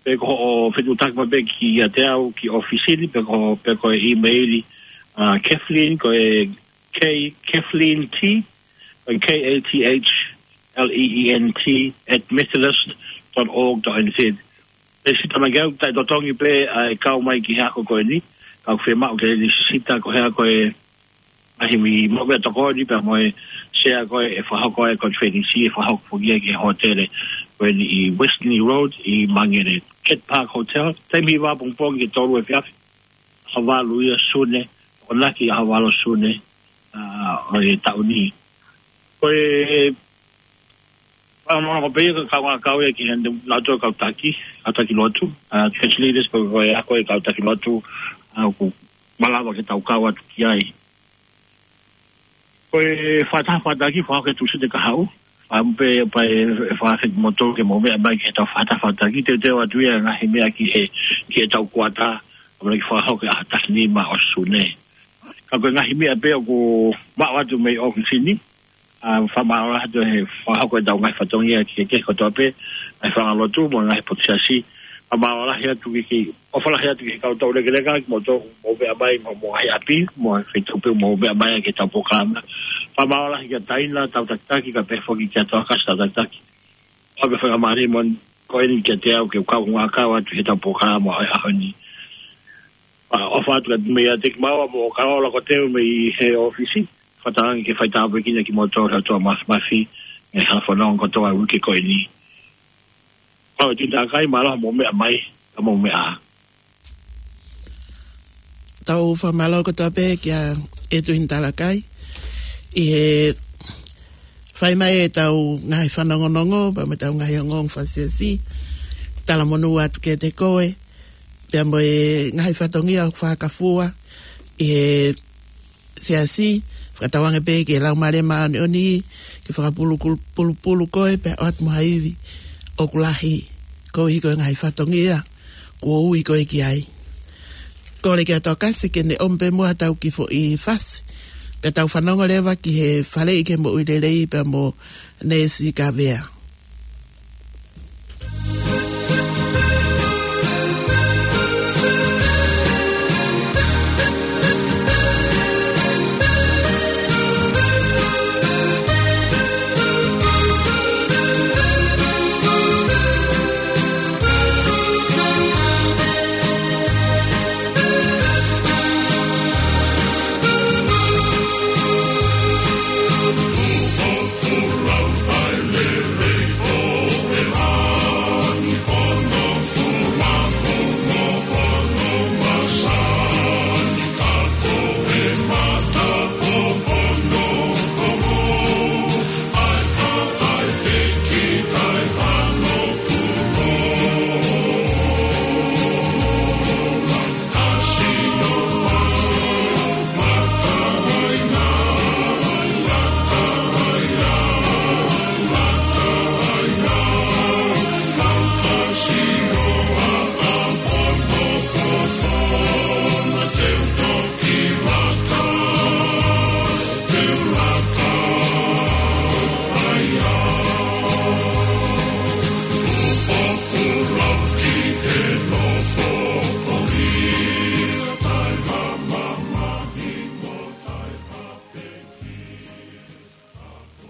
Pe ko hoʻo fetuʻutaki mai pē kiate au ki ʻōfisi ni, pe ko, pe ko e ʻīmeili, ʻa, Kathleen, ko e K, Kathleen T, ko e K A T H L E E N T at methodist dot org dot N Z. Lēsisita mai ki ai, taʻetotongi pē ʻa e kau mai ki he ako ko eni, ka ʻoku fiemaʻu ke lēsisita koeʻuhi ko e ngaahi meʻa ʻoku tokoni pea mo e sea ko ē ʻe fakahoko ai e konifelenisi ʻe fakahoko foki ia ki he hōtele ko eni ʻi Westney Road ʻi Mangere. Kent Park Hotel. Taimi hiva pongipongi ki he tolu efiafi. ʻAho valu ia Sune, ʻo naki ʻaho valu Sune, ʻa, ʻo e taʻu ni. Ko e, ʻa, ʻa, ʻa, pea ia ka kau ngā kau ia ki he, naʻa tō kau taki, kau taki lotu, ʻa, church leaders, ko, ko e ako e kau taki lotu, ʻa, ʻoku malava ke tau kau atu ki ai. Ko e fakataha fakataki, fakahoko e Tūsite kahaʻu. Fakaʻamu pē, pea ʻe, ʻe fakafeʻiloaki kimoutolu ke mou meʻa mai ki heʻetau fakataha fakataki. Teuteu atu ia ngaahi meʻa ki he, ki heʻetau kuata. ʻAmanaki fakahoko ʻaho taha nima ʻo Sune. Ka ko e ngaahi meʻa pē ʻoku maʻu atu mei ʻōfisi ni. ʻA, fakamālō lahi atu he fakahoko ʻetau ngaahi fatongia ki he, ki he kotoa pē, ngaahi fanga lotu mo e ngaahi potu siasi. Fakamālō lahi atu ki, ki, ʻofa lahi atu ki he kau tau lekeleka, kimoutolu mou meʻa mai, mo, mo e ngaahi ʻapi, mo e feituʻu pē mou meʻa mai ki heʻetau polokalama. Fakamālō lahi kia Taina, tau takitaki, kae pehē foki kia Toakasi, tau takitaki. ʻOfa pē fakamālō mo ko eni kiate au ke u kau ngā kau atu heʻetau polokalama ʻo e ʻaho ni. ʻA, ʻofa atu kiate, meiate kimaua mo Kaola ko Teu mei he ʻōfisi. Fakatauange ke faitāpuekina kimoutolu he ʻOtua Māfimafi, ʻi he hala fononga kotoa ʻo e uike ko eni. Kau e Tuʻi Talakai, mālō hoʻomou meʻa mai, ka mou meʻa ā. Tau fakamālō kotoa pē kia e Tuʻi Talakai. ʻI he fai mai ʻetau ngaahi fanongonongo, pea mo ʻetau ngaahi ongoongo fakasiasi, talamonū atu kiate koe, pea mo e ngaahi fatongia ʻoku fakafua ʻi he siasi, fakatauange pē ke Laumālie Māʻoniʻoni, ke fakapulupulu, pulupulu koe, pea ʻoatu mo ha ivi ʻoku lahi, koeʻuhi ko e ngaahi fatongia kuo ui koe ki ai. Kole kia Toakasi ke ne ʻomi pē muʻa ʻetau kiʻi foʻi fasi, pea tau fanongo leva ki he Faleʻi ki he Moʻui Lelei pea mo Neesi Kavea.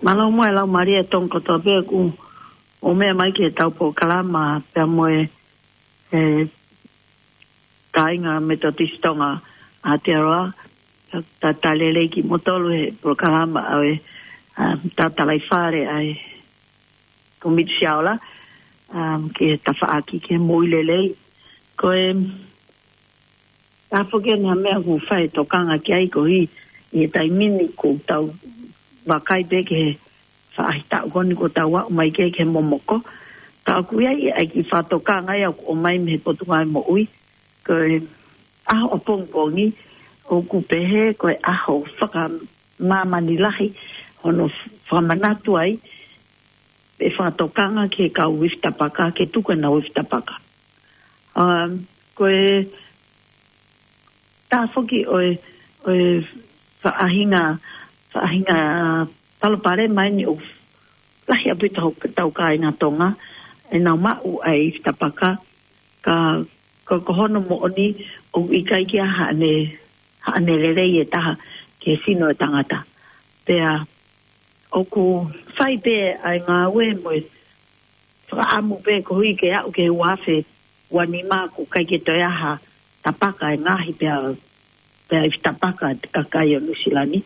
Mālō muʻa e Laumālie ʻo Tonga kotoa pē ʻoku mou meʻa mai ki heʻetau polokalama pea mo e, e, kāinga Metotisi Tonga ʻAotearoa, ta, ta, talitali lelei kimoutolu he polokalama ʻa e, ʻa, ta, talitali fale ʻa e Kōmiti Siaola, ʻa, ki he tafaʻaki ki he moʻui lelei. Ko e, tā foki eni ha meʻa ʻoku fai e tokanga ki ai koeʻuhi ʻi he taimi ni ʻoku tau vakai pē ki he faʻahitaʻu ko eni kuo tau aʻu mai ki ai ki he momoko. Ka ʻoku ʻi ai ʻa e kiʻi fakatokanga ia ʻoku ʻomai mei he Potungāue Moʻui. Ko e ʻaho ʻapongipongi ʻoku pehē ko e ʻaho fakamāmani lahi hono fakamanatu ai pe fakatokanga ki he kau ifi tapaka, ke tuku ʻenau ifi tapaka. Um, ko e tā foki ʻo e, ʻo e faʻahinga, faʻahinga palopalema eni ʻoku lahi ʻaupito hotau kāinga Tonga ʻenau maʻu ʻa e ifi tapaka, ka, ka ko hono moʻoni ʻoku ʻikai ke ʻi ai haʻane, haʻane lelei ʻe taha ki he sino ʻo e tangata. Pea ʻoku fai pē ʻa e ngāue mo e fakaʻamu pē koeʻuhi ke aʻu ki he ua afe ua nima ʻoku ʻikai ke toe ʻi ai ha tapaka ʻe ngaohi pea, pea ifi tapaka ʻa e kakai ʻo Nuʻusila ni.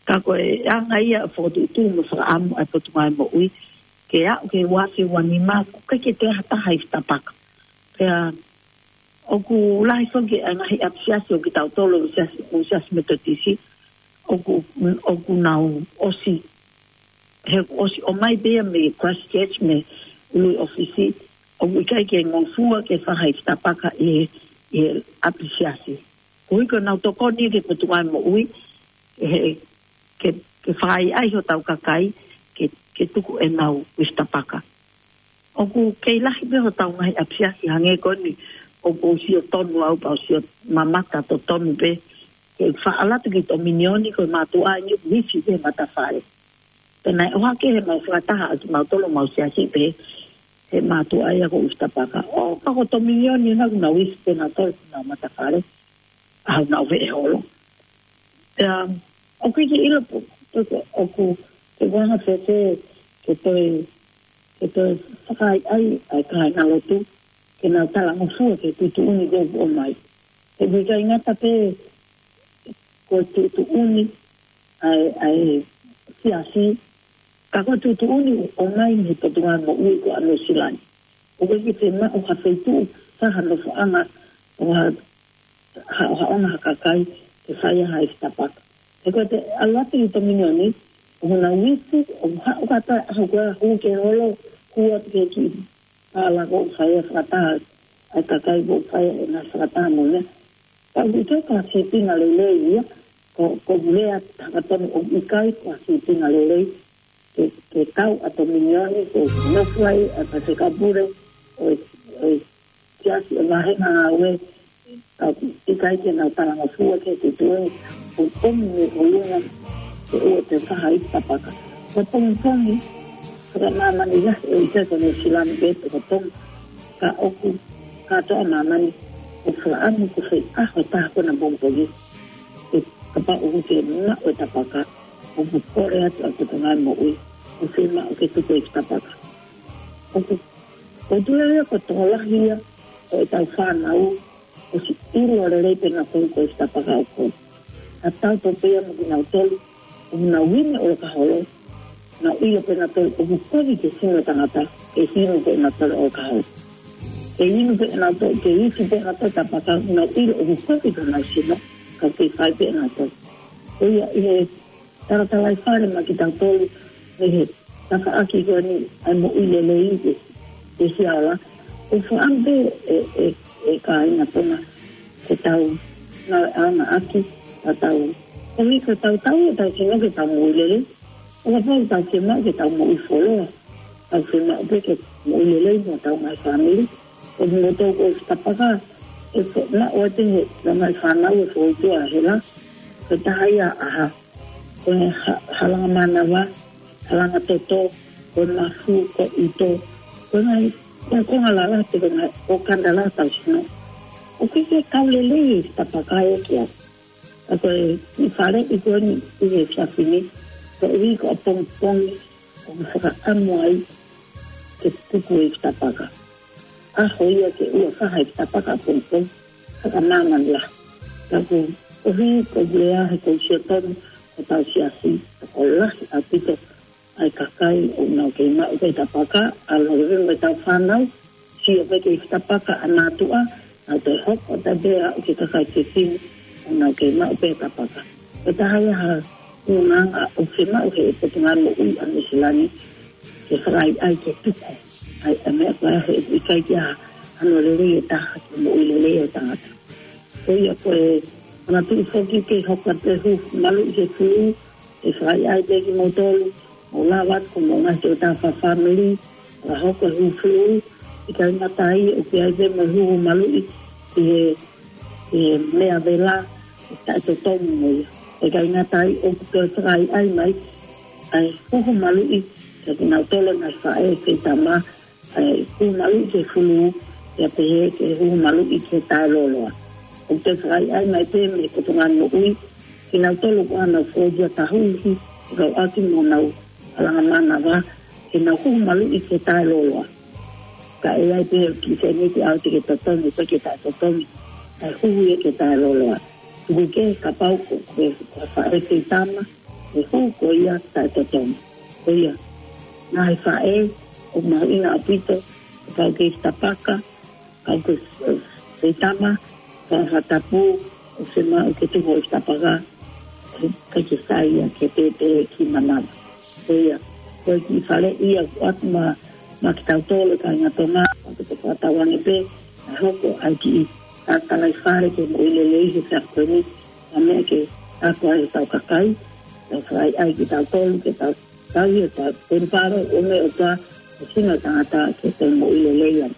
Ka ko e anga ia ʻo e fokotuʻutuʻu mo e fakaʻamu ʻa e Potungāue Moʻui ke aʻu ki he ua afe ua nima ʻoku ʻikai ke toe ʻi ai ha taha ifi tapaka. Pea ʻoku lahi foki ʻa e ngaahi ʻapisiasi ʻo kitautolu ʻo e siasi, ʻo e Siasi Metotisi, ʻoku, ʻoku nau ʻosi, he ʻosi ʻomai pē ia mei Christchurch mei ʻUluʻi ʻOfisi, ʻoku ʻikai ke ngofua ke fai ha Easter paka ʻi he, ʻi he ʻapisiasi. Koeʻuhi ko ʻenau tokoni ki he Potungāue Moʻui, he, ke, ke fai ai hotau kakai, ke, ke tuku ʻenau Easter paka. ʻOku kei lahi pē hotau ngaahi ʻapisiasi hangē ko eni, ʻoku ou sio tonu au pea u sio mamata totonu pē, ke faʻa ʻalu atu ki Tominioni ko e mātuʻa ʻeni ʻoku ʻi he matafale. Pea naʻe ʻohake he mau fakataha ʻa kimautolu mau siasi pē, he mātuʻa ia ko e Easter paka. ʻO ka ko Tominioni ʻena ʻoku nau ʻi he pē nautolu ʻoku nau matafale, ʻa ʻenau veʻe holo. Pea, ʻoku ʻikai ke ʻilo pe, pe ko, ʻoku, ke ʻuhinga fēfē, ke toe, ke toe fakaʻaiʻai ʻa e kāingalotu, ke nau talangofua ki he tuʻutuʻuni ko ē ʻoku ʻomai. He ʻoku ʻikai ngata pē, ko e tuʻutuʻuni, ʻa e, ʻa e siasi, ka ko e tuʻutuʻuni ʻoku ʻomai mei he Potungāue Moʻui ko ē ʻa Nuʻu Sila ni. ʻOku ʻikai ke fiemaʻu ha feituʻu, ha nofoʻanga, ʻo ha, ha, ha ʻaonga ha kakai, ke fai ha Easter paka. He ko e ʻalu atu ki Tominioni, ʻoku nau ʻi he, ʻoku haʻu kātoa, ʻoku hū ki he holo, hū atu ki he kiʻi pala ko ē ʻoku fai ai e fakataha, ʻa e kakai ʻoku fai ai ʻenau fakataha mo ia. Ka ʻoku ʻikai ko ha sīpinga lelei ia, ko, ko e lea haka tonu ʻoku ʻikai ko ha sīpinga lelei, ke, ke kau ʻa Tominioni, ke nofo ai ʻa e Pasifika Pule, ʻo e, ʻo e siasi ʻo e ngaahi ngāue, ka ʻoku ʻikai ke nau talangofua ki he tuʻutuʻuni, ʻoku ʻomi mei ʻolunga, ke ʻoua te fai ha Easter paka. Ko e pongipongi, ko e māmani lahi ʻe ʻikai ko Nuʻu Sila ni pē ko e pongipongi, ka ʻoku kātoa māmani, ʻoku fakaʻamu ko e fai ʻaho ʻe taha ko ena pongipongi. Ke kapau ʻoku ke maʻu e Easter paka, ʻoku kole atu ʻa e Potungāue Moʻui, ʻoku fiemaʻu ke tuku e Easter paka. ʻOku, ʻoku tui au ia ko e tokolahi ia ʻo ʻetau fānau, ʻosi ʻilo lelei pē ʻenautolu ko e Easter paka ʻoku. Ka tau tō pē ia mo kinautolu, ʻoku nau ʻi he ʻolokaholo, nau ʻilo pē ʻenautolu ʻoku kovi ke sino e tangata, ke sino pē ʻenautolu ʻolokaholo. Ke inu pē ʻenautolu, ke isi pē ʻenautolu Easter paka, nau ʻilo ʻoku kovi ke nau sino, ka ke fai pē ʻenautolu. Ko ia ʻi he talatalaifale maʻa kitautolu, mei he tafaʻaki ko eni ʻa e moʻui lelei ke, ke siaola. ʻOku fakaʻamu pē ʻe, ʻe, ʻe kāinga Tonga, ke tau ngāueʻanga ʻaki, ka tau, koeʻuhi ko ʻetau tau, ʻetau sino ke tau moʻui lelei. ʻO kapau ʻoku tau fiemaʻu ke tau moʻui fuoloa, tau fiemaʻu pē ke moʻui lelei mo ʻetau ngaahi fāmili. Ko e motu ko e Easter paka, ʻe fo-, maʻu atu he, ʻa e ngaahi fānau ʻe fokotuʻu ʻa e hela, ko e taha ia ʻa ha, ko e ha-, halanga mānava, halanga toto, ko e mafu, ko e ʻuto, ko e ngaahi, ko e konga lalahi, ko e ngaahi ʻokana lalahi ʻetau sino. ʻOku ʻikai ke kau lelei e Easter paka ia ki ai. Ka ko e kiʻi faleʻi ko eni ʻi he efiafi ni, koeʻuhi ko e pongipongi ʻoku fakaʻamu ai ke tuku e Easter paka. ʻAho ia ke ʻoua fai ha Easter paka ʻapongipongi, fakamāmani lahi. Ka ko, koeʻuhi ko e lea he ko e sio tonu hotau siasi, ka ko e lahi ʻaupito ʻa e kakai ʻoku nau kei maʻu pē Easter paka, ʻalu leva mo ʻetau fānau, sio pē ki he Easter paka ʻa e mātuʻa, nau toe hoko atu pē ʻo aʻu ki he kakai fefine, ʻoku nau kei maʻu pē Easter paka. Ko e taha ia ha ʻulungaanga ʻoku fiemaʻu he Potungāue Moʻui ʻa Nuʻu Sila ni, ke fakaʻaiʻai ke tuku. ʻA e, ʻa e meʻa ko ia he ʻikai ke ʻi ai hano lelei ʻe taha ki he moʻui lelei ʻo e tangata. Ko ia ko e, ʻa e tuʻu foki ke hoko atu e huhu maluʻi ki he fulu, ʻe fakaʻaiʻai pē kimoutolu, mou lava atu ko homou ngaahi tokotaha fakafāmili, fakahoko e huhu fulu, ʻikai ngata ai ʻoku ʻi ai pē mo e huhu maluʻi ki he, ki he meʻa vela, ʻe taʻetotongi mo ia. ʻIkai ngata ai ʻoku toe fakaʻaiʻai mai ʻa e huhu maluʻi kia kinautolu ngaahi faʻē feitama, ʻa e huhu maluʻi ki he fulu, pea pehē ki he huhu maluʻi ki he taʻelōloa. ʻOku toe fakaʻaiʻai mai pē mei he Potungāue Moʻui, kinautolu ʻoku ʻi ai honau fōgia tahuhi, fekauʻaki mo honau halanga mānava, ke nau huhu maluʻi ki he taʻelōloa. Ka ʻe ʻi ai pē kiʻi sēniti ʻalu atu ki he totongi, pe ki he taʻetotongi, ʻa e huhu ia ki he taʻelōloa. Tuku kehe kapau ko, ko, ko e faʻē feitama, ʻe huhu ko ia taʻetotongi. Ko ia, ngaahi faʻē, ʻoku mahuʻinga ʻaupito, kapau ke Easter paka, Ka ʻoku ke, ʻe, Seitama, ka ha tapu, ʻoku ke maʻu ke tuku ʻi he tapaka, ʻe, ka ke sai ia ke te te ki manava. Ko ia, ko e kiʻi fale ia ʻoku ʻatu maʻa, maʻa kitautolu e kāinga Tonga, ʻoku te fakatauange pē, ʻe hoko ai kiʻi, ʻa, Talaifale ki he Moʻui Lelei he taʻu ko eni, ʻa meʻa ke ako ai ʻetau kakai, ʻe fai ai kitautolu, ke tau, tau ia, tau, penu paro, ʻo me o ta, ʻe sino tangata ke te moʻui lelei ai.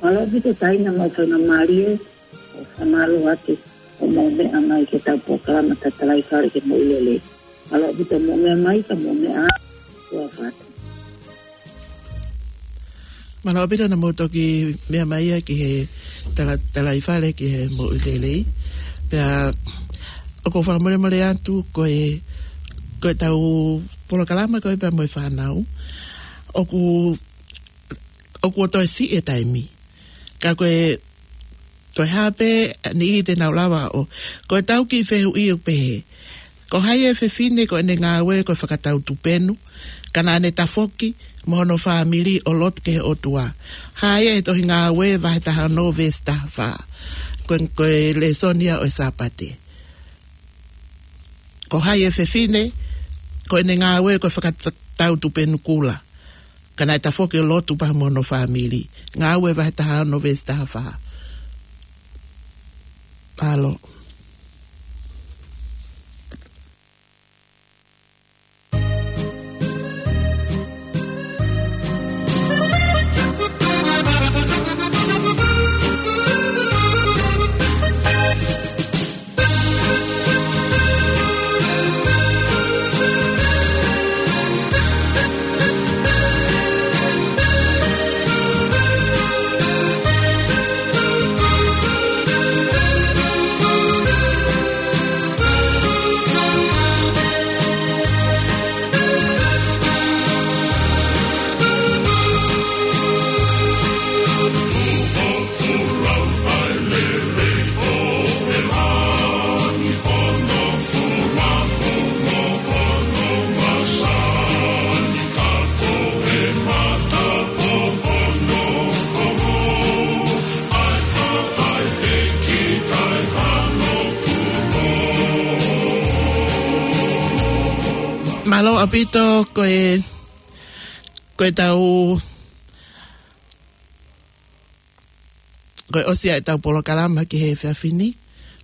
Mālō ʻaupito Taina, mau faingamālie ʻo fakamālō atu ʻo mou meʻa mai ki heʻetau polokalama Talaifale ki he Moʻui Lelei. Mālō ʻaupito mou meʻa mai, ka mou meʻa ā, ua fatu. Mālō ʻaupito naʻa mou toki meʻa mai ia ki he tala-, Talaifale ki he Moʻui Lelei. Pea ʻoku ou fakamolemole atu ko e, ko ʻetau polokalama ko ē pea mo e fānau. ʻOku ʻoku ʻo toe siʻi e taimi. Ka ko e, ko e hā pē ʻa e niʻihi te nau lava ʻo, ko ʻetau kiʻi fehuʻi ʻoku pehē: Ko hai e fefine ko ʻene ngāue ko e fakatau tupenu, ka naʻa ne tafoki mo hono fāmili ʻo lotu ki he ʻOtua? Hā ia ʻi he Tohi Ngāue vahe taha ono veesi taha fā. Ko e, ko e lēsoni ia ʻo e Sāpate. Ko hai e fefine ko ʻene ngāue ko e fakatau tupenu kula, ka naʻe tafoki ʻo lotu pea mo hono fāmili? Ngāue vahe taha ono veesi taha fā. Mālō. Mālō ʻaupito ko e, ko ʻetau, ko e ʻosi ʻa ʻetau polokalama ki he efiafi ni.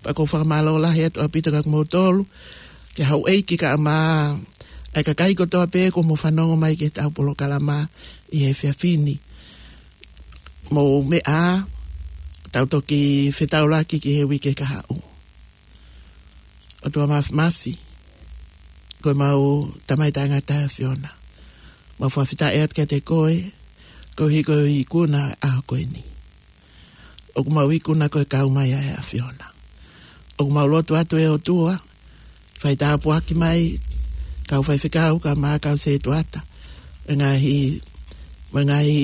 Pea ʻoku ou fakamālō lahi atu ʻaupito kia kimoutolu, ki he houʻeiki kae ʻumaʻā e kakai kotoa pē kuo mou fanongo mai ki heʻetau polokalama ʻi he efiafi ni. Mou meʻa ā, tau toki fetaulaki ki he uike kahaʻu. ʻOtua Māfimafi, ko ʻemau Tamai Taʻengata ʻa e ʻAfiona, mau fakafetaʻi atu kiate koe, koeʻuhi ko e ikuna ʻa e ʻaho ko eni. ʻOku mau ikuna koe kau mai ʻa e ʻAfiona. ʻOku mau lotu atu ʻe ʻOtua, fai tāpuaki mai kau faifekau kae ʻumaʻā kau sētuata, ʻo e ngaahi, ʻo e ngaahi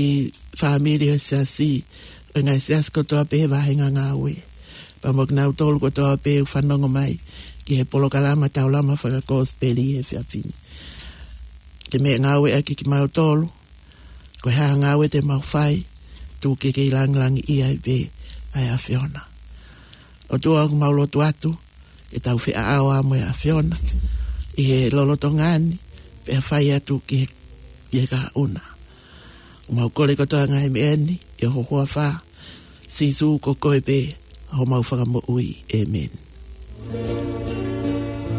fāmili ʻo e siasi, ʻo e ngaahi siasi kotoa pē he vāhenga ngāue. Pea mo kinautolu kotoa pē ʻoku fanongo mai ki he polokalama Taulama Fakakosipeli he efiafi ni. Ke meʻangāue ʻaki kimautolu, ko e hā ha ngāue te mau fai, tuku ke kei langilangiʻia ai pē ʻa e ʻAfiona. ʻOtua, ʻoku mau lotu atu ke tau feʻao ā mo e ʻAfiona ʻi he lolotonga ni, pea fai atu ki he, ki he kahaʻu na. ʻOku mau kole kotoa e ngaahi meʻa ni ʻi ho huafa, Sīsū, ko koe pē homau Fakamoʻui. ʻĒmeni.